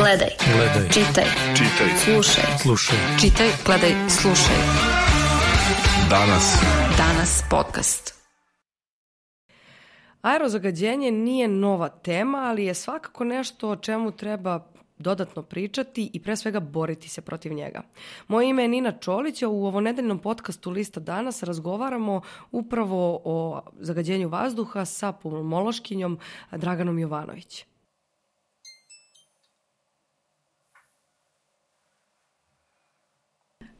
Gledaj. Čitaj. Slušaj. Čitaj, gledaj, slušaj. Danas podcast. Aerozagađenje nije nova tema, ali je svakako nešto o čemu treba dodatno pričati i pre svega boriti se protiv njega. Moje ime je Nina Čolić, a u ovonedeljnom podcastu Lista danas razgovaramo upravo o zagađenju vazduha sa pulmološkinjom Draganom Jovanović.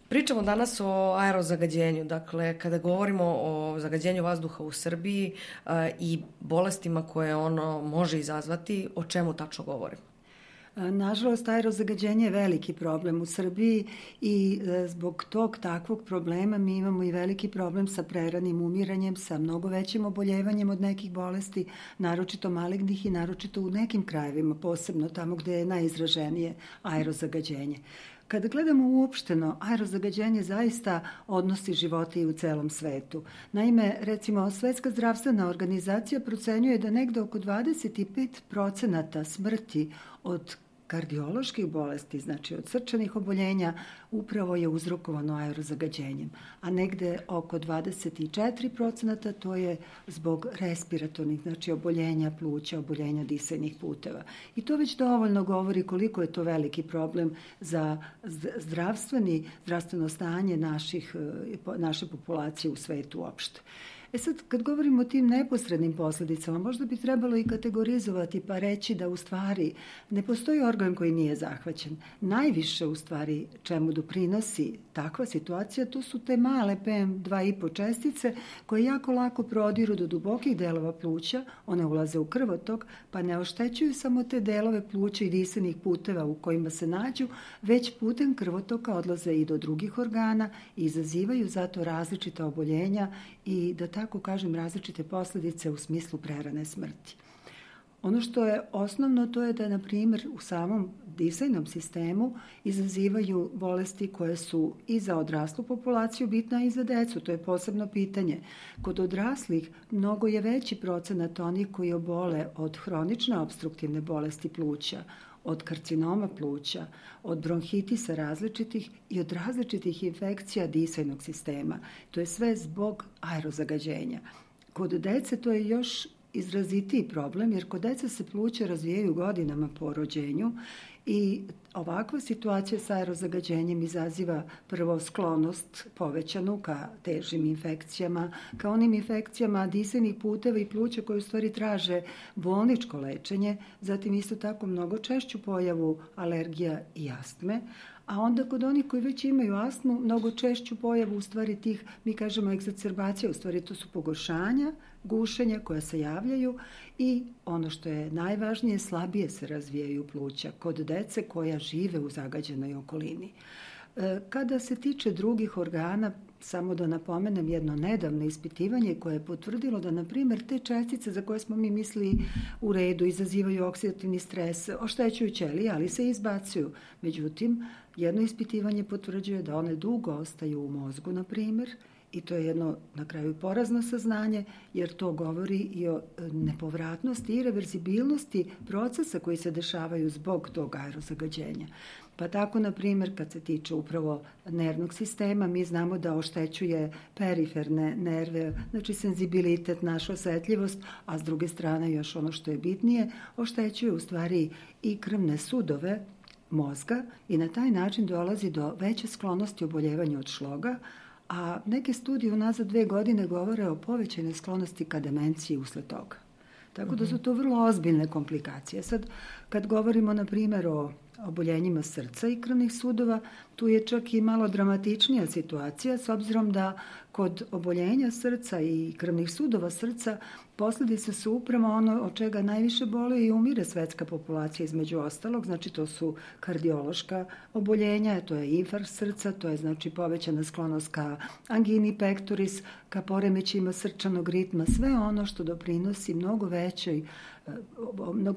Pričamo danas o aerozagađenju. Dakle, kada govorimo o zagađenju vazduha u Srbiji i bolestima koje ono može izazvati, o čemu tačno govorimo? Nažalost, aerozagađenje je veliki problem u Srbiji i zbog tog takvog problema mi imamo i veliki problem sa preranim umiranjem, sa mnogo većim oboljevanjem od nekih bolesti, naročito malignih i naročito u nekim krajevima, posebno tamo gde je najizraženije aerozagađenje. Kada gledamo uopšteno, aerozagađenje zaista odnosi živote i u celom svetu. Naime, recimo, Svetska zdravstvena organizacija procenjuje da negde oko 25% smrti od kardioloških bolesti, znači od srčanih oboljenja, upravo je uzrokovano aerozagađenjem, a negde oko 24% to je zbog respiratornih, znači oboljenja pluća, oboljenja disajnih puteva. I to već dovoljno govori koliko je to veliki problem za zdravstveno stanje naše populacije u svetu uopšte. Sad, kad govorimo o tim neposrednim posljedicama, možda bi trebalo i kategorizovati pa reći da u stvari ne postoji organ koji nije zahvaćen. Najviše u stvari čemu doprinosi takva situacija, to su te male PM2,5 čestice koje jako lako prodiru do dubokih delova pluća, one ulaze u krvotok, pa ne oštećuju samo te delove pluća i disajnih puteva u kojima se nađu, već putem krvotoka odlaze i do drugih organa i izazivaju zato različita oboljenja i da tako kažem različite posljedice u smislu prerane smrti. Ono što je osnovno to je da, na primjer, u samom disajnom sistemu izazivaju bolesti koje su i za odraslu populaciju bitna i za decu. To je posebno pitanje. Kod odraslih mnogo je veći procenat onih koji obole od hronične opstruktivne bolesti pluća, od karcinoma pluća, od bronhitisa različitih i od različitih infekcija disajnog sistema. To je sve zbog aerozagađenja. Kod dece to je još izrazitiji problem, jer kod dece se pluća razvijaju godinama po rođenju i ovakva situacija sa aerozagađenjem izaziva prvo sklonost povećanu ka težim infekcijama, ka onim infekcijama disajnih puteva i pluća koje u stvari traže bolničko lečenje, zatim isto tako mnogo češću pojavu alergija i astme, a onda kod onih koji već imaju astmu, mnogo češću pojavu u stvari tih, mi kažemo egzacerbacija, u stvari to su pogoršanja, gušenja koja se javljaju i ono što je najvažnije, slabije se razvijaju pluća kod dece koja žive u zagađenoj okolini. Kada se tiče drugih organa, samo da napomenem jedno nedavno ispitivanje koje je potvrdilo da, na primjer, te čestice za koje smo mi mislili u redu, izazivaju oksidativni stres, oštećuju ćelije, ali se izbacuju. Međutim, jedno ispitivanje potvrđuje da one dugo ostaju u mozgu, na primjer, i to je jedno, na kraju, porazno saznanje, jer to govori i o nepovratnosti i reverzibilnosti procesa koji se dešavaju zbog tog aerozagađenja. Pa tako, na primjer, kad se tiče upravo nervnog sistema, mi znamo da oštećuje periferne nerve, znači senzibilitet, naša osetljivost, a s druge strane, još ono što je bitnije, oštećuje u stvari i krvne sudove mozga i na taj način dolazi do veće sklonosti oboljevanju od šloga, a neke studije unazad 2 godine govore o povećanoj sklonosti ka demenciji usled toga. Tako da su to vrlo ozbiljne komplikacije. Sad, kad govorimo, na primjer, o oboljenjima srca i krvnih sudova, tu je čak i malo dramatičnija situacija, s obzirom da kod oboljenja srca i krvnih sudova srca posljedice su upravo ono od čega najviše boli i umire svetska populacija između ostalog, znači to su kardiološka oboljenja, to je infarkt srca, to je znači povećana sklonost ka angini pectoris, ka poremećajima srčanog ritma, sve ono što doprinosi mnogo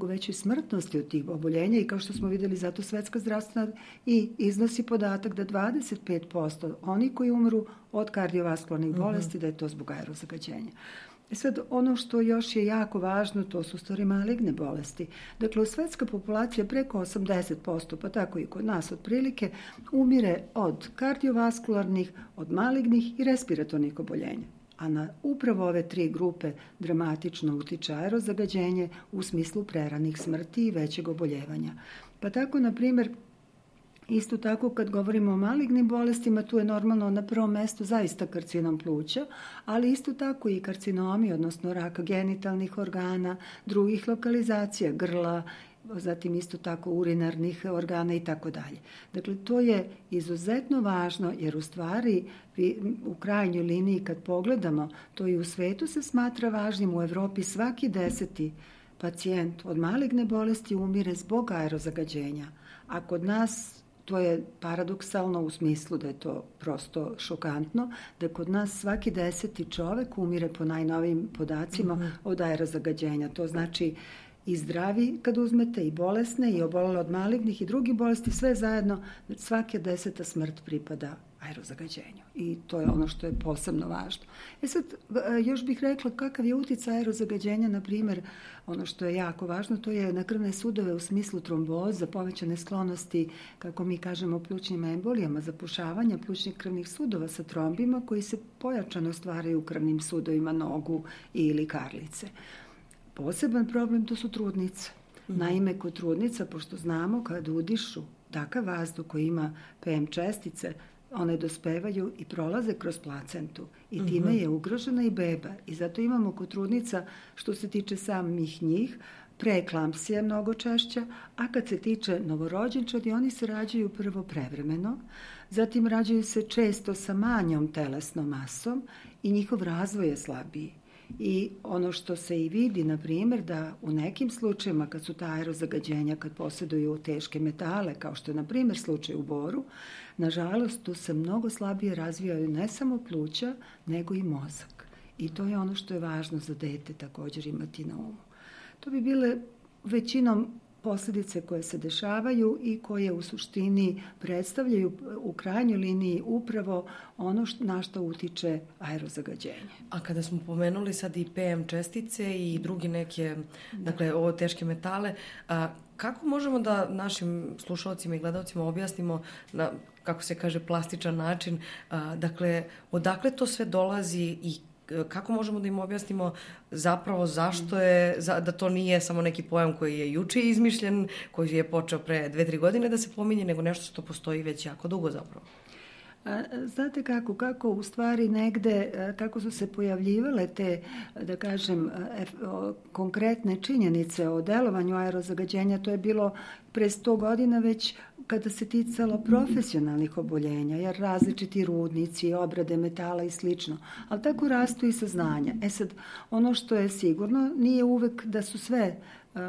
većoj smrtnosti od tih oboljenja i kao što smo vidjeli, zato Svetska zdravstvena i iznosi podatak da 25% oni koji umru od kardiovaskularnih bolesti, da je to zbog aerozagađenja. Sad, ono što još je jako važno, to su stvari maligne bolesti. Dakle, u svetska populacija preko 80%, pa tako i kod nas otprilike, umire od kardiovaskularnih, od malignih i respiratornih oboljenja. A na upravo ove 3 grupe dramatično utiče aerozagađenje u smislu preranih smrti i većeg oboljevanja. Pa tako, na primjer, isto tako kad govorimo o malignim bolestima, tu je normalno na prvom mestu zaista karcinom pluća, ali isto tako i karcinomi, odnosno raka genitalnih organa, drugih lokalizacija, grla, zatim isto tako urinarnih organa i tako dalje. Dakle, to je izuzetno važno jer u stvari u krajnjoj liniji kad pogledamo, to i u svetu se smatra važnim, u Evropi svaki 10. pacijent od maligne bolesti umire zbog aerozagađenja, a kod nas to je paradoksalno u smislu da je to prosto šokantno, da kod nas svaki 10. čovek umire po najnovijim podacima od aerozagađenja. To znači i zdravi kad uzmete, i bolesne, i obolele od malignih i drugih bolesti, sve zajedno, svaka 10. smrt pripada aerozagađenju. I to je ono što je posebno važno. Sad, još bih rekla kakav je uticaj aerozagađenja, na primjer, ono što je jako važno, to je na krvne sudove u smislu tromboza, povećane sklonosti, kako mi kažemo, plućnim embolijama, zapušavanja plućnih krvnih sudova sa trombima koji se pojačano stvaraju u krvnim sudovima nogu ili karlice. Poseban problem to su trudnice. Naime, kod trudnica, pošto znamo kad udišu takav vazduh koji ima PM čestice, one dospevaju i prolaze kroz placentu i time je ugrožena i beba. I zato imamo kod trudnica, što se tiče samih njih, preeklampsija mnogo češća, a kad se tiče novorođenčadi, oni se rađaju prvo prevremeno, zatim rađaju se često sa manjom telesnom masom i njihov razvoj je slabiji. I ono što se i vidi, na primjer, da u nekim slučajima kad su ta aerozagađenja, kad posjeduju teške metale, kao što je na primjer slučaj u boru, nažalost tu se mnogo slabije razvijaju ne samo pluća, nego i mozak. I to je ono što je važno za dete također imati na umu. To bi bile većinom posljedice koje se dešavaju i koje u suštini predstavljaju u krajnjoj liniji upravo ono na što utiče aerozagađenje. A kada smo pomenuli sad i PM čestice i drugi neke, dakle, ovo teške metale, kako možemo da našim slušalcima i gledalcima objasnimo na, kako se kaže, plastičan način, dakle, odakle to sve dolazi i kako možemo da im objasnimo zapravo zašto je, da to nije samo neki pojam koji je juče izmišljen, koji je počeo pre 2-3 godine da se pominje, nego nešto što postoji već jako dugo zapravo? Znate kako u stvari negde, kako su se pojavljivale te, da kažem, konkretne činjenice o delovanju aerozagađenja, to je bilo pre 100 godina već kada se ticalo profesionalnih oboljenja, jer različiti rudnici, obrade metala i slično, ali tako rastu i saznanja. Sad, ono što je sigurno, nije uvek da su sve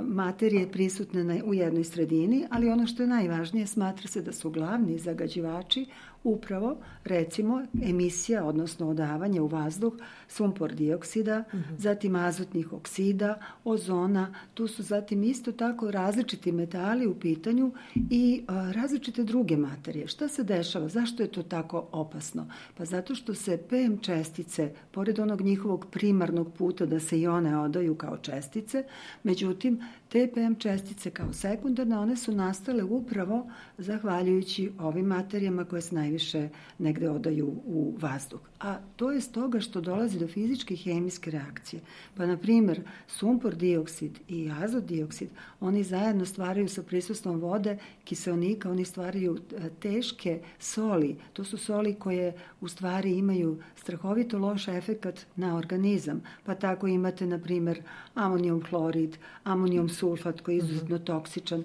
materije prisutne u jednoj sredini, ali ono što je najvažnije, smatra se da su glavni zagađivači upravo, recimo, emisija, odnosno odavanje u vazduh sumpor dioksida, zatim azotnih oksida, ozona, tu su zatim isto tako različiti metali u pitanju i različite druge materije. Šta se dešava? Zašto je to tako opasno? Pa zato što se PM čestice, pored onog njihovog primarnog puta da se i one odaju kao čestice, međutim, te PM čestice kao sekundarne, one su nastale upravo zahvaljujući ovim materijama koje se najviše negde odaju u vazduh. A to je stoga što dolazi do fizičke i hemijske reakcije. Pa, na primjer, sumpor dioksid i azot dioksid, oni zajedno stvaraju sa prisustvom vode, kiseonika, oni stvaraju teške soli. To su soli koje u stvari imaju strahovito loš efekat na organizam. Pa tako imate, na primjer, amonijum hlorid, amonijum sulfat koji je izuzetno toksičan.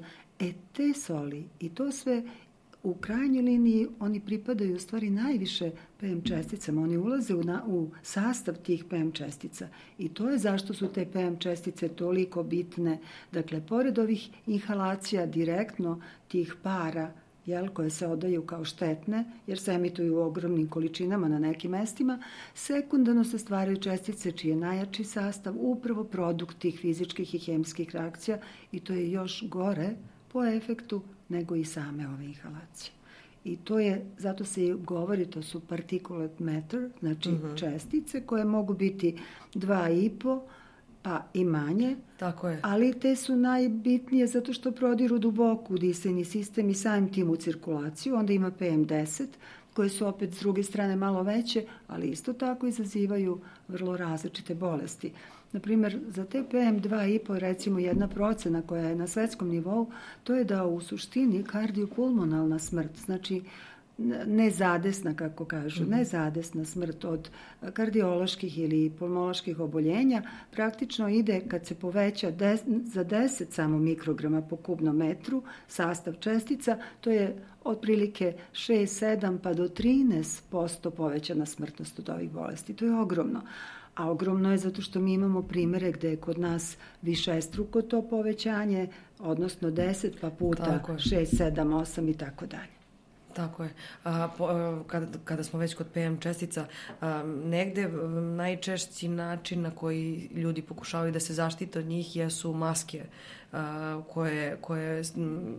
Te soli i to sve u krajnjoj liniji oni pripadaju u stvari najviše PM česticama. Oni ulaze u sastav tih PM čestica i to je zašto su te PM čestice toliko bitne. Dakle, pored ovih inhalacija direktno tih para koje se odaju kao štetne, jer se emituju u ogromnim količinama na nekim mestima, sekundarno se stvaraju čestice čiji je najjači sastav upravo produkt tih fizičkih i hemijskih reakcija i to je još gore po efektu nego i same ove inhalacije. I to je, zato se i govori, to su particulate matter, znači čestice koje mogu biti 2,5 pa i manje. Tako je. Ali te su najbitnije zato što prodiru duboko u disajni sistem i samim tim u cirkulaciju. Onda ima PM10 koje su opet s druge strane malo veće, ali isto tako izazivaju vrlo različite bolesti. Naprimjer, za te PM2,5 recimo 1% koja je na svetskom nivou, to je da u suštini kardiopulmonalna smrt, znači nezadesna, kako kažu, nezadesna smrt od kardioloških ili pulmoloških oboljenja praktično ide kad se poveća za 10 samo mikrograma po kubnom metru sastav čestica, to je otprilike 6, 7 pa do 13% povećana smrtnost od ovih bolesti. To je ogromno. A ogromno je zato što mi imamo primere gde je kod nas višestruko to povećanje, odnosno 10 pa puta 6, 7, 8 i tako dalje. Tako je. Kada smo već kod PM čestica, negde najčešći način na koji ljudi pokušavaju da se zaštite od njih jesu maske koje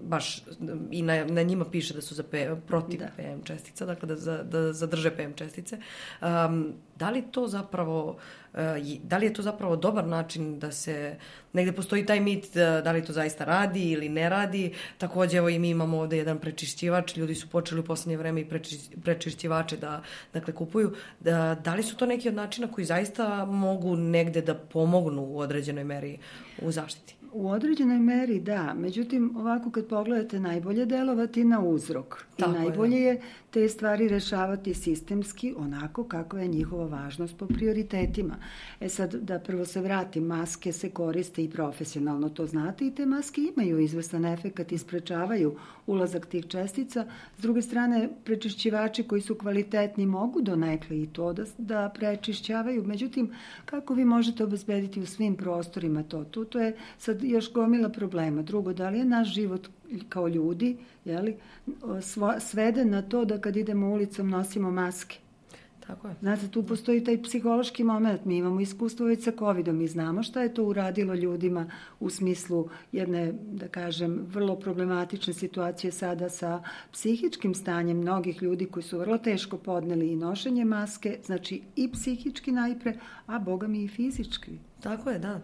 baš i na njima piše da su protiv PM čestica, dakle da zadrže PM čestice. Da li je to zapravo dobar način da se, negde postoji taj mit da li to zaista radi ili ne radi. Takođe, evo i mi imamo ovde jedan prečišćivač, ljudi su počeli u poslednje vreme i prečišćivače da kupuju. Da li su to neki od načina koji zaista mogu negde da pomognu u određenoj meri u zaštiti? U određenoj meri da, međutim ovako kad pogledate najbolje delovati na uzrok i najbolje je te stvari rešavati sistemski onako kako je njihova važnost po prioritetima. Sad da prvo se vratim, maske se koriste i profesionalno, to znate, i te maske imaju izvestan efekat i sprečavaju ulazak tih čestica. S druge strane, prečišćivači koji su kvalitetni mogu donekle i to da prečišćavaju, međutim kako vi možete obezbediti u svim prostorima to? To je sad još gomila problema. Drugo, da li je naš život kao ljudi sveden na to da kad idemo ulicom nosimo maske? Tako je. Znate, tu postoji taj psihološki moment. Mi imamo iskustvo već sa COVID-om i znamo šta je to uradilo ljudima u smislu jedne, da kažem, vrlo problematične situacije sada sa psihičkim stanjem mnogih ljudi koji su vrlo teško podneli i nošenje maske, znači i psihički najpre, a boga mi i fizički. Tako je, da.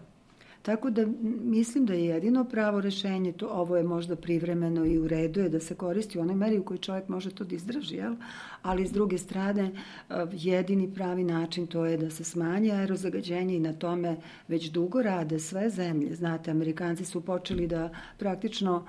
Tako da mislim da je jedino pravo rešenje, ovo je možda privremeno i u redu je da se koristi u onoj meri u kojoj čovjek može to da izdrži, jel? Ali s druge strane jedini pravi način to je da se smanji aerozagađenje i na tome već dugo rade sve zemlje. Znate, Amerikanci su počeli da praktično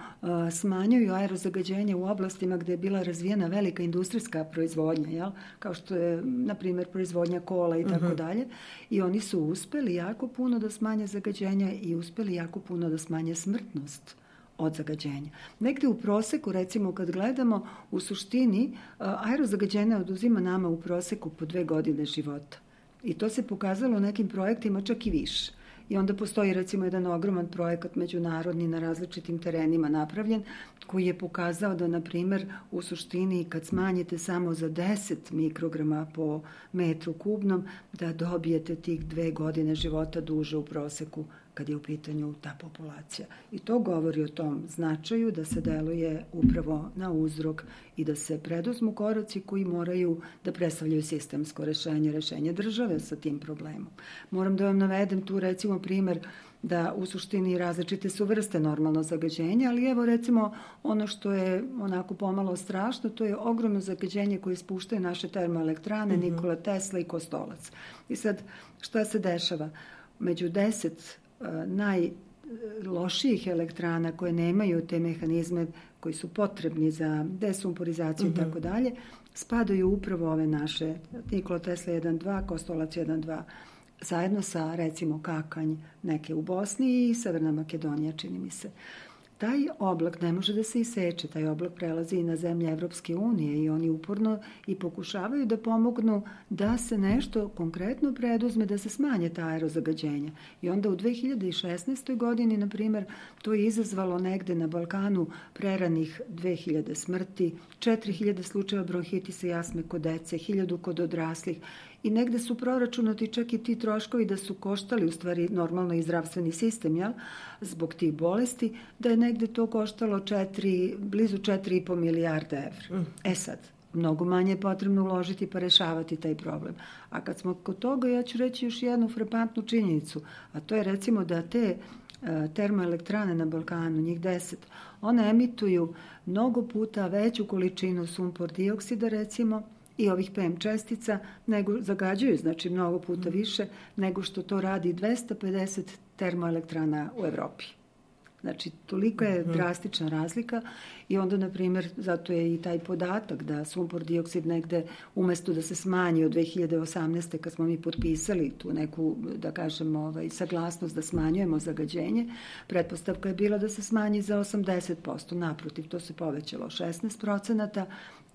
smanjuju aerozagađenje u oblastima gde je bila razvijena velika industrijska proizvodnja, jel? Kao što je, na primjer, proizvodnja kola i tako dalje. I oni su uspeli jako puno da smanje zagađenje i uspeli jako puno da smanje smrtnost od zagađenja. Negde u proseku, recimo kad gledamo, u suštini aerozagađenje oduzima nama u proseku po 2 godine života. I to se pokazalo u nekim projektima čak i više. I onda postoji recimo jedan ogroman projekat međunarodni na različitim terenima napravljen koji je pokazao da, na primjer, u suštini kad smanjite samo za 10 mikrograma po metru kubnom, da dobijete tih 2 godine života duže u proseku kad je u pitanju ta populacija. I to govori o tom značaju da se deluje upravo na uzrok i da se preduzmu koraci koji moraju da predstavljaju sistemsko rešenje države sa tim problemom. Moram da vam navedem tu recimo primer da u suštini različite su vrste normalno zagađenja, ali evo recimo ono što je onako pomalo strašno, to je ogromno zagađenje koje ispuštaju naše termoelektrane, Nikola Tesla i Kostolac. I sad šta se dešava? Među 10 najlošijih elektrana koje nemaju te mehanizme koji su potrebni za desumporizaciju i tako dalje, spadaju upravo ove naše Nikola Tesla 1.2, Kostolac 1.2, zajedno sa recimo Kakanj neke u Bosni i Severna Makedonija, čini mi se. Taj oblak ne može da se iseče, taj oblak prelazi i na zemlje Evropske unije i oni uporno i pokušavaju da pomognu da se nešto konkretno preduzme, da se smanje ta aerozagađenja. I onda u 2016. godini, na primjer, to je izazvalo negde na Balkanu preranih 2000 smrti, 4000 slučajeva bronhitisa i astme kod dece, 1000 kod odraslih. i negde su proračunati čak i ti troškovi da su koštali u stvari normalno i zdravstveni sistem, jel? Zbog tih bolesti, da je negde to koštalo blizu 4,5 milijarde evra. Sad, mnogo manje je potrebno uložiti pa rešavati taj problem. A kad smo kod toga, ja ću reći još jednu frapantnu činjenicu, a to je recimo da te termoelektrane na Balkanu, njih 10, one emituju mnogo puta veću količinu sumpor dioksida recimo i ovih PM čestica, nego zagađuju, znači mnogo puta više nego što to radi 250 termoelektrana u Evropi. Znači, toliko je drastična razlika i onda, na primjer, zato je i taj podatak da sumpor dioksid negde, umesto da se smanji od 2018. kad smo mi potpisali tu neku, da kažem, saglasnost da smanjujemo zagađenje, pretpostavka je bila da se smanji za 80%. Naprotiv, to se povećalo 16%.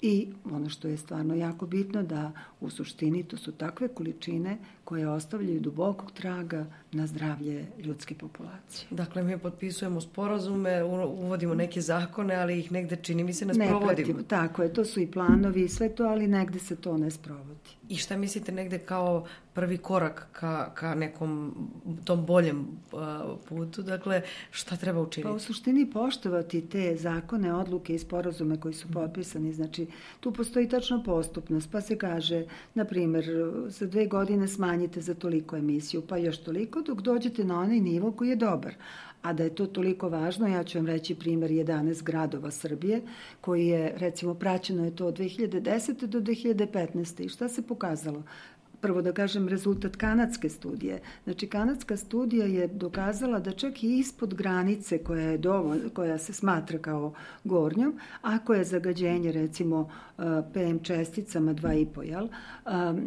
I ono što je stvarno jako bitno da u suštini to su takve količine koje ostavljaju dubokog traga na zdravlje ljudske populacije. Dakle, mi potpisujemo sporazume, uvodimo neke zakone, ali ih negde čini mi se ne sprovodimo. Tako je, to su i planovi i sve to, ali negde se to ne sprovodi. I šta mislite negde kao prvi korak ka nekom tom boljem putu? Dakle, šta treba učiniti? Pa u suštini poštovati te zakone, odluke i sporazume koji su potpisani. Znači, tu postoji tačno postupnost, pa se kaže, na primjer, za 2 godine smanjite za toliko emisiju, pa još toliko, dok dođete na onaj nivo koji je dobar. A da je to toliko važno, ja ću vam reći primjer 11 gradova Srbije, koji je, recimo, praćeno je to od 2010. do 2015. I šta se pokazalo? Prvo da kažem rezultat kanadske studije. Znači, kanadska studija je dokazala da čak i ispod granice koja se smatra kao gornjom, ako je zagađenje, recimo, PM česticama 2,5, jel?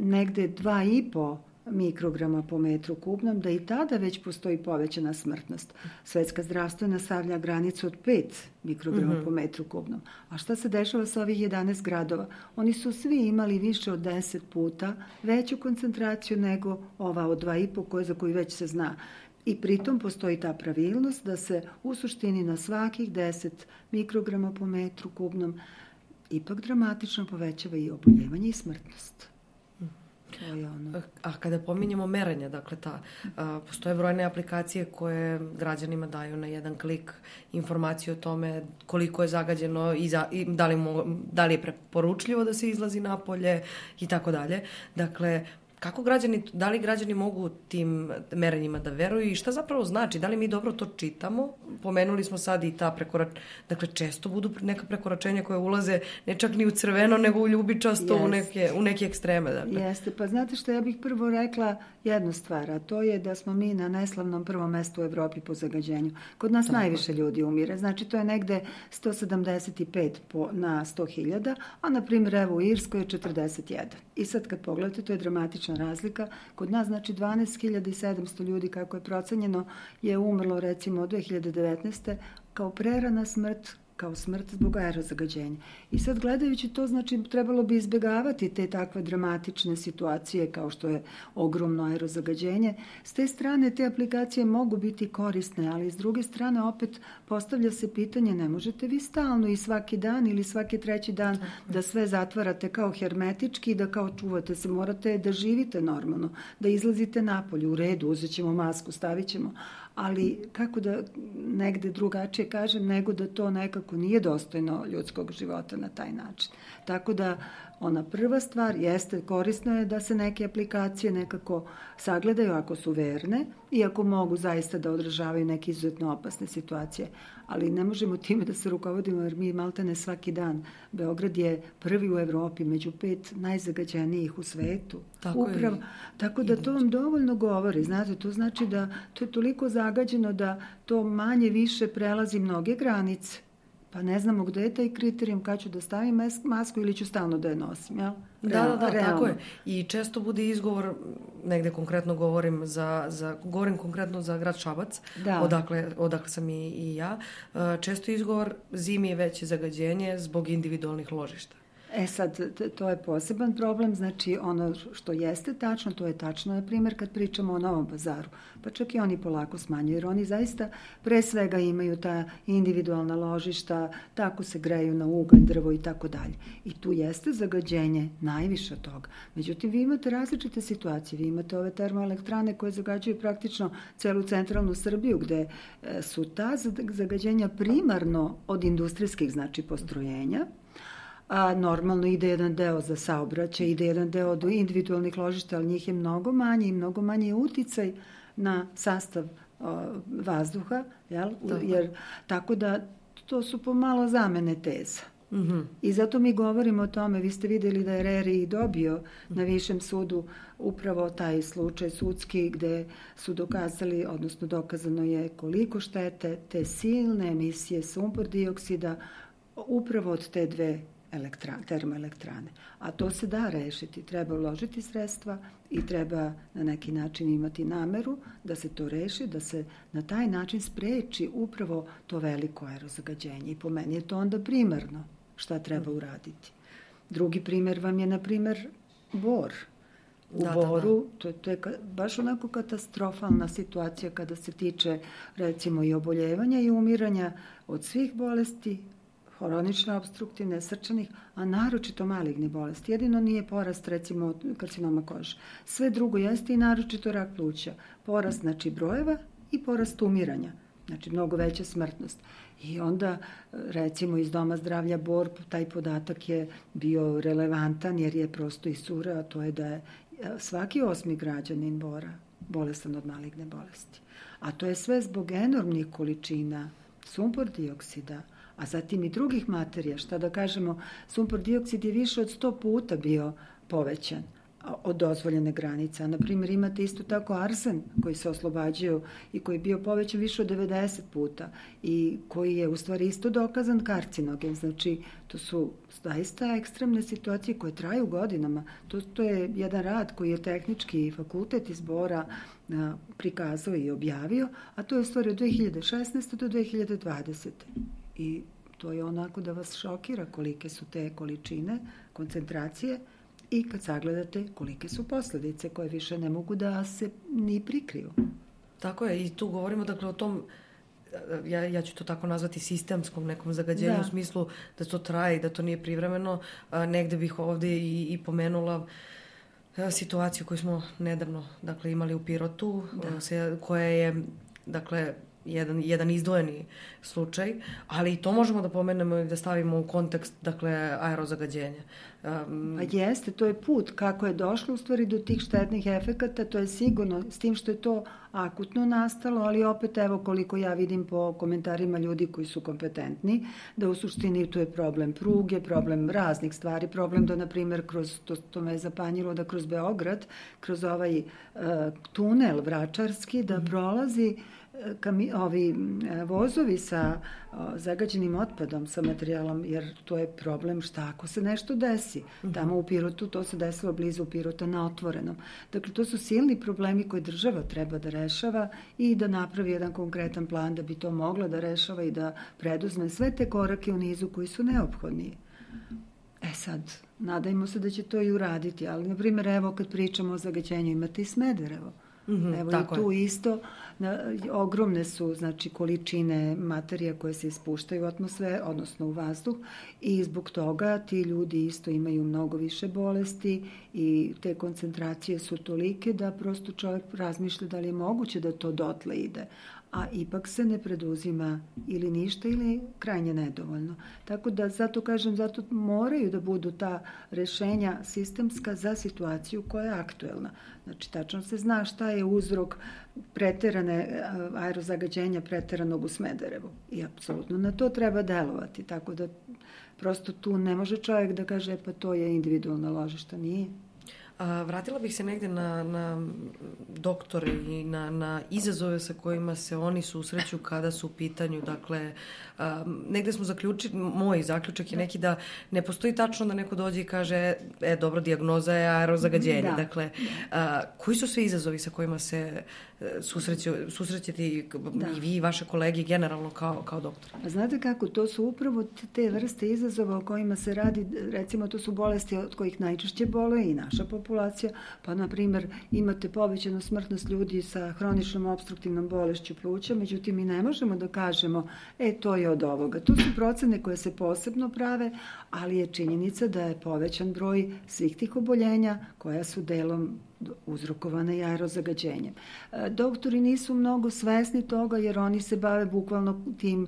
Negde 2,5 mikrograma po metru kubnom, da i tada već postoji povećana smrtnost. Svetska zdravstvena stavlja granicu od 5 mikrograma po metru kubnom. A šta se dešava sa ovih 11 gradova? Oni su svi imali više od 10 puta veću koncentraciju nego ova od 2,5 za koju već se zna. I pritom postoji ta pravilnost da se u suštini na svakih 10 mikrograma po metru kubnom ipak dramatično povećava i oboljevanje i smrtnost. A kada pominjemo merenja, dakle, postoje brojne aplikacije koje građanima daju na jedan klik informaciju o tome koliko je zagađeno i da li je preporučljivo da se izlazi napolje i tako dalje. Dakle, da li građani mogu tim merenjima da veruju i šta zapravo znači? Da li mi dobro to čitamo? Pomenuli smo sad i ta prekoračenja. Dakle, često budu neka prekoračenja koje ulaze ne čak ni u crveno, nego u ljubičasto, u neke ekstreme. Dakle. Jeste, pa znate što, ja bih prvo rekla jednu stvar, a to je da smo mi na neslavnom prvom mestu u Evropi po zagađenju. Kod nas najviše ljudi umire, znači to je negde 175 na 100.000, a na primjer evo u Irskoj je 41. I sad kad pogledate, to je dramatična razlika. Kod nas, znači, 12.700 ljudi, kako je procenjeno, je umrlo, recimo, od 2019. kao prerana smrt, kao smrt zbog aerozagađenja. I sad, gledajući to, znači, trebalo bi izbjegavati te takve dramatične situacije kao što je ogromno aerozagađenje. S te strane, te aplikacije mogu biti korisne, ali s druge strane, opet postavlja se pitanje, ne možete vi stalno i svaki dan ili svaki 3. dan da sve zatvarate kao hermetički i da kao čuvate se. Morate da živite normalno, da izlazite napolje, u redu, uzet ćemo masku, stavit ćemo, ali kako da negde drugačije kažem, nego da to nekako nije dostojno ljudskog života na taj način. Tako da ona prva stvar jeste, korisno je da se neke aplikacije nekako sagledaju ako su verne i ako mogu zaista da odražavaju neke izuzetno opasne situacije. Ali ne možemo time da se rukovodimo jer mi maltene svaki dan. Beograd je prvi u Evropi među 5 najzagađenijih u svetu. Tako da to vam dovoljno govori. Znate, to znači da to je toliko zagađeno da to manje više prelazi mnoge granice. Pa ne znamo gde je taj kriterijum, kad ću da stavim masku ili ću stalno da je nosim, jel? Da, tako je. I često bude izgovor, negde konkretno govorim konkretno za grad Šabac, odakle sam i ja, često izgovor zimi je veće zagađenje zbog individualnih ložišta. Sad, to je poseban problem, znači ono što jeste tačno, to je tačno, na primjer, kad pričamo o Novom Pazaru, pa čak i oni polako smanjuju, jer oni zaista pre svega imaju ta individualna ložišta, tako se greju na ugalj, drvo i tako dalje. I tu jeste zagađenje najviše od toga. Međutim, vi imate različite situacije, vi imate ove termoelektrane koje zagađuju praktično celu centralnu Srbiju, gde su ta zagađenja primarno od industrijskih, znači, postrojenja, a normalno ide jedan deo za saobraćaj, ide jedan deo do individualnih ložišta, ali njih je mnogo manje i mnogo manje je uticaj na sastav vazduha, jel? Jer, tako da to su pomalo zamene teza. I zato mi govorimo o tome, vi ste videli da je RERI dobio na višem sudu upravo taj slučaj sudski gde su dokazali, odnosno dokazano je koliko štete te silne emisije sumpor dioksida upravo od te dve termoelektrane. A to se da rešiti. Treba uložiti sredstva i treba na neki način imati nameru da se to reši, da se na taj način spreči upravo to veliko aerozagađenje. I po meni je to onda primarno šta treba uraditi. Drugi primer vam je, na primer, Bor. U Boru, to je baš onako katastrofalna situacija kada se tiče, recimo, i oboljevanja i umiranja od svih bolesti, hronične obstruktivne, srčanih, a naročito maligne bolesti. Jedino nije porast, recimo, karcinoma kože. Sve drugo jeste i naročito rak pluća. Porast, znači, brojeva i porast umiranja. Znači, mnogo veća smrtnost. I onda, recimo, iz Doma zdravlja Bor, taj podatak je bio relevantan jer je prosto isura, a to je da je svaki 8. građanin Bora bolestan od maligne bolesti. A to je sve zbog enormnih količina sumpor dioksida, a zatim i drugih materija. Šta da kažemo, sumpor dioksid je više od 100 puta bio povećan od dozvoljene granice. Naprimjer, imate isto tako arsen koji se oslobađaju i koji je bio povećan više od 90 puta i koji je u stvari isto dokazan karcinogen. Znači, to su zaista ekstremne situacije koje traju godinama. To je jedan rad koji je tehnički fakultet iz Bora prikazao i objavio, a to je u stvari od 2016. do 2020. I to je onako da vas šokira kolike su te količine, koncentracije i kad sagledate kolike su posljedice koje više ne mogu da se ni prikriju. Tako je, i tu govorimo dakle o tom, ja ću to tako nazvati, sistemskom nekom zagađenju, u smislu da to traje i da to nije privremeno. Negde bih ovde i pomenula situaciju koju smo nedavno dakle imali u Pirotu, koja je dakle jedan izdvojeni slučaj, ali i to možemo da pomenemo i da stavimo u kontekst, dakle, aerozagađenja. Pa jeste, to je put kako je došlo u stvari do tih štetnih efekata, to je sigurno, s tim što je to akutno nastalo, ali opet evo koliko ja vidim po komentarima ljudi koji su kompetentni, da u suštini tu je problem pruge, problem raznih stvari, problem da, na primjer, to me je zapanjilo da kroz Beograd, kroz ovaj tunel vračarski, da prolazi ovi vozovi sa zagađenim otpadom, sa materijalom, jer to je problem šta ako se nešto desi. Tamo u Pirotu, to se desilo blizu Pirota na otvorenom. Dakle, to su silni problemi koje država treba da rešava i da napravi jedan konkretan plan da bi to mogla da rešava i da preduzme sve te korake u nizu koji su neophodni. Sad, nadajmo se da će to i uraditi, ali, na primjer, evo kad pričamo o zagađenju, imate i Smederevo. Evo i tu isto ogromne su, znači, količine materija koje se ispuštaju u atmosferu, odnosno u vazduh, i zbog toga ti ljudi isto imaju mnogo više bolesti i te koncentracije su tolike da prosto čovjek razmišlja da li je moguće da to dotle ide, a ipak se ne preduzima ili ništa ili krajnje nedovoljno. Tako da, zato kažem, zato moraju da budu ta rešenja sistemska za situaciju koja je aktuelna. Znači, tačno se zna šta je uzrok preterane aerozagađenja preteranog u Smederevu. I apsolutno na to treba delovati. Tako da prosto tu ne može čovjek da kaže pa to je individualna ložišta. Nije. Vratila bih se negde na doktore i na izazove sa kojima se oni susreću kada su u pitanju. Dakle, negde smo zaključili, moj zaključak je neki da ne postoji tačno da neko dođe i kaže dobro, dijagnoza je aerozagađenje. Da. Dakle, koji su sve izazovi sa kojima se susrećete i vi i vaše kolege generalno kao doktor? A znate kako, to su upravo te vrste izazova o kojima se radi, recimo to su bolesti od kojih najčešće boluje i naša populacija, pa na primjer imate povećanu smrtnost ljudi sa hroničnom opstruktivnom bolešću pluća, međutim mi ne možemo da kažemo to je od ovoga. To su procene koje se posebno prave, ali je činjenica da je povećan broj svih tih oboljenja koja su delom uzrokovane i aerozagađenjem. Doktori nisu mnogo svesni toga jer oni se bave bukvalno tim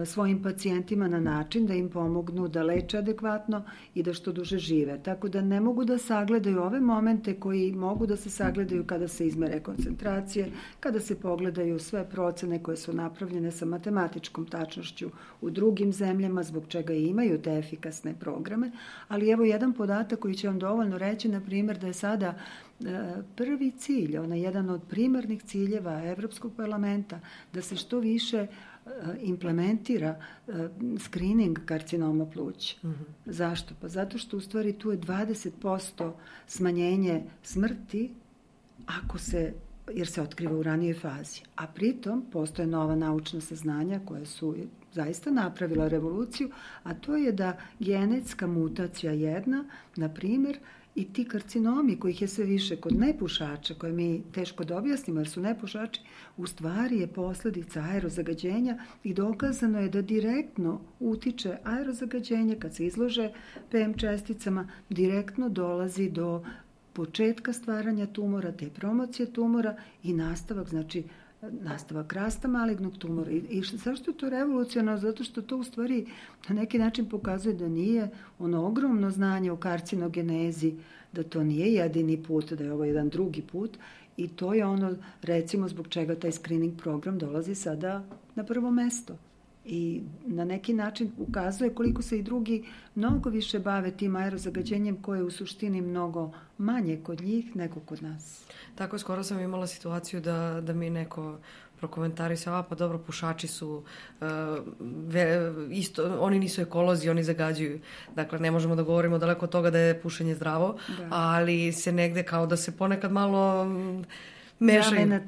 svojim pacijentima na način da im pomognu da leče adekvatno i da što duže žive. Tako da ne mogu da sagledaju ove momente koji mogu da se sagledaju kada se izmere koncentracije, kada se pogledaju sve procene koje su napravljene sa matematičkom tačnošću u drugim zemljama, zbog čega i imaju te efikasne programe. Ali evo jedan podatak koji će vam dovoljno reći, na primjer, da je sada prvi cilj, jedan od primarnih ciljeva Evropskog parlamenta, da se što više implementira screening karcinoma pluća. Zašto? Pa zato što u stvari tu je 20% smanjenje smrti jer se otkriva u ranijoj fazi. A pritom postoje nova naučna saznanja koja su zaista napravila revoluciju, a to je da genetska mutacija jedna, na primjer, i ti karcinomi kojih je sve više kod nepušača, koje mi teško da objasnimo jer su nepušači, u stvari je posljedica aerozagađenja i dokazano je da direktno utiče aerozagađenje kad se izlože PM česticama, direktno dolazi do početka stvaranja tumora, te promocije tumora i nastavak rasta malignog tumora. I zašto je to revolucionarno? Zato što to u stvari na neki način pokazuje da nije ono ogromno znanje o karcinogenezi, da to nije jedini put, da je ovo jedan drugi put i to je ono, recimo, zbog čega taj screening program dolazi sada na prvo mesto. I na neki način ukazuje koliko se i drugi mnogo više bave tim aerozagađenjem koje je u suštini mnogo manje kod njih nego kod nas. Tako, skoro sam imala situaciju da mi neko prokomentarisao, pa dobro, pušači su isto, oni nisu ekolozi, oni zagađuju. Dakle, ne možemo da govorimo daleko od toga da je pušenje zdravo, ali se negde kao da se ponekad malo zamena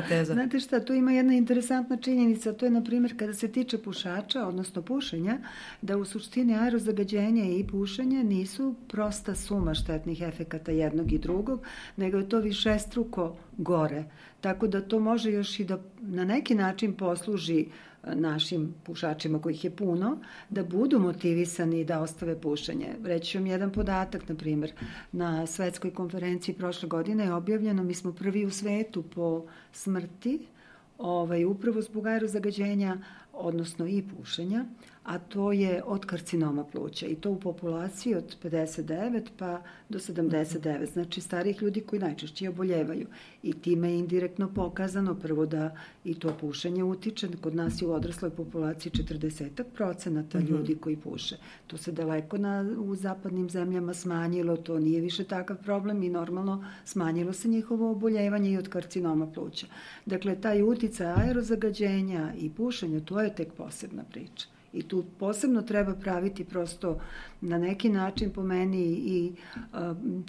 teza. Znate šta, tu ima jedna interesantna činjenica, to je, na primjer, kada se tiče pušača, odnosno pušenja, da u suštini aerozagađenje i pušenje nisu prosta suma štetnih efekata jednog i drugog, nego je to višestruko gore. Tako da to može još i da na neki način posluži našim pušačima, kojih je puno, da budu motivisani da ostave pušenje. Reći vam jedan podatak, na primjer, na svetskoj konferenciji prošle godine je objavljeno, mi smo prvi u svetu po smrti, upravo zbog aerozagađenja, odnosno i pušenja, a to je od karcinoma pluća i to u populaciji od 59 pa do 79, znači starih ljudi koji najčešće oboljevaju. I time je indirektno pokazano prvo da i to pušenje utiče, kod nas je u odrasloj populaciji 40% ljudi koji puše. To se daleko u zapadnim zemljama smanjilo, to nije više takav problem i normalno smanjilo se njihovo oboljevanje i od karcinoma pluća. Dakle, taj uticaj aerozagađenja i pušenja, to je tek posebna priča. I tu posebno treba praviti prosto na neki način po meni i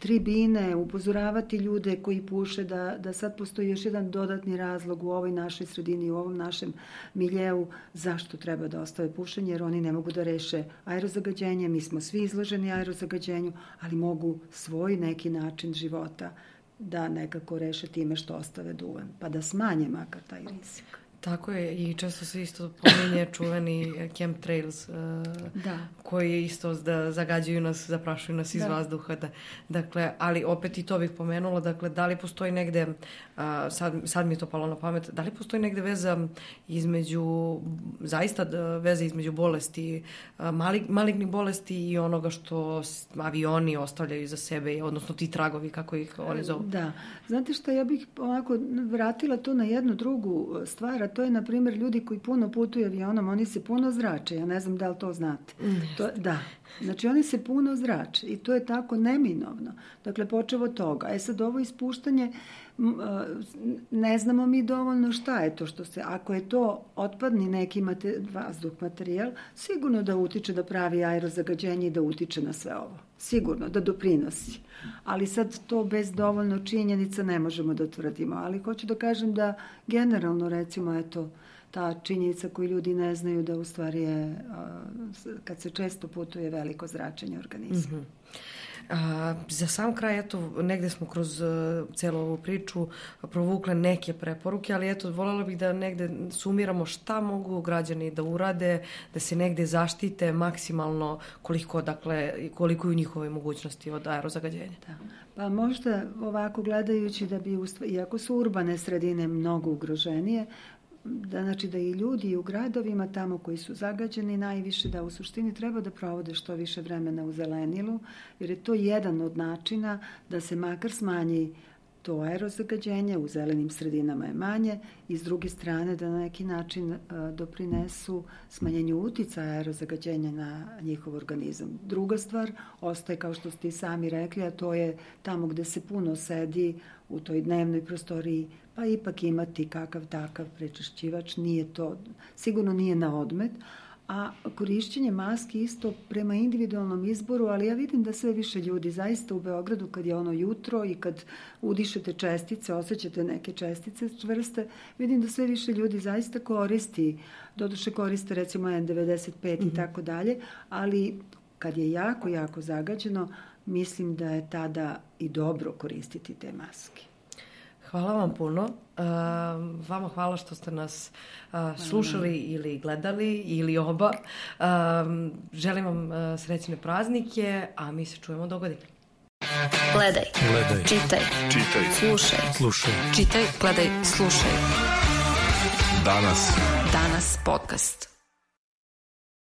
tribine, upozoravati ljude koji puše da sad postoji još jedan dodatni razlog u ovoj našoj sredini, u ovom našem miljeu zašto treba da ostave pušenje, jer oni ne mogu da reše aerozagađenje, mi smo svi izloženi aerozagađenju, ali mogu svoj neki način života da nekako reše time što ostave duvan, pa da smanje makar taj rizik. Tako je, i često se isto pominje čuveni chemtrails koji isto zagađuju nas, zaprašuju nas iz vazduha. Dakle, ali opet i to bih pomenula, dakle, da li postoji negde, sad mi je to palo na pamet, da li postoji negde veza između bolesti, malignih bolesti i onoga što avioni ostavljaju za sebe, odnosno ti tragovi, kako ih oni zovu? Da, znate što, ja bih ovako vratila to na jednu drugu stvar, to je, na primjer, ljudi koji puno putuju avionom, oni se puno zrače. Ja ne znam da li to znate. Da. Znači, oni se puno zrače i to je tako neminovno. Dakle, počevo od toga. Sad, ovo ispuštanje, ne znamo mi dovoljno šta je to što se... Ako je to otpadni neki vazduh materijal, sigurno da utiče da pravi aerozagađenje i da utiče na sve ovo. Sigurno, da doprinosi. Ali sad to bez dovoljno činjenica ne možemo da tvrdimo. Ali hoću da kažem da generalno, recimo, eto, ta činjenica koju ljudi ne znaju da u stvari je, kad se često putuje, veliko zračenje organizma. Mm-hmm. Za sam kraj, eto, negde smo kroz celu ovu priču provukle neke preporuke, ali eto, voljela bih da negde sumiramo šta mogu građani da urade, da se negde zaštite maksimalno koliko je u njihove mogućnosti od aerozagađenja. Da. Pa možda ovako gledajući da bi, iako su urbane sredine mnogo ugroženije, znači da i ljudi u gradovima tamo koji su zagađeni najviše, da u suštini treba da provode što više vremena u zelenilu, jer je to jedan od načina da se makar smanji to aerozagađenje, u zelenim sredinama je manje, i s druge strane da na neki način doprinesu smanjenju uticaja aerozagađenja na njihov organizam. Druga stvar ostaje, kao što ste i sami rekli, a to je tamo gde se puno sedi u toj dnevnoj prostoriji, pa ipak imati kakav takav prečišćivač, sigurno nije na odmet, a korišćenje maski isto prema individualnom izboru, ali ja vidim da sve više ljudi zaista u Beogradu, kad je ono jutro i kad udišete čestice, osjećate neke čestice čvrste, vidim da sve više ljudi zaista koristi, doduše koriste recimo N95 i tako dalje, ali kad je jako, jako zagađeno, mislim da je tada i dobro koristiti te maske. Hvala vam puno. Vama hvala što ste nas slušali ili gledali ili oba. Želim vam srećne praznike, a mi se čujemo dogodine. Gledaj. Čitaj. Slušaj. Čitaj, gledaj, slušaj. Danas podcast.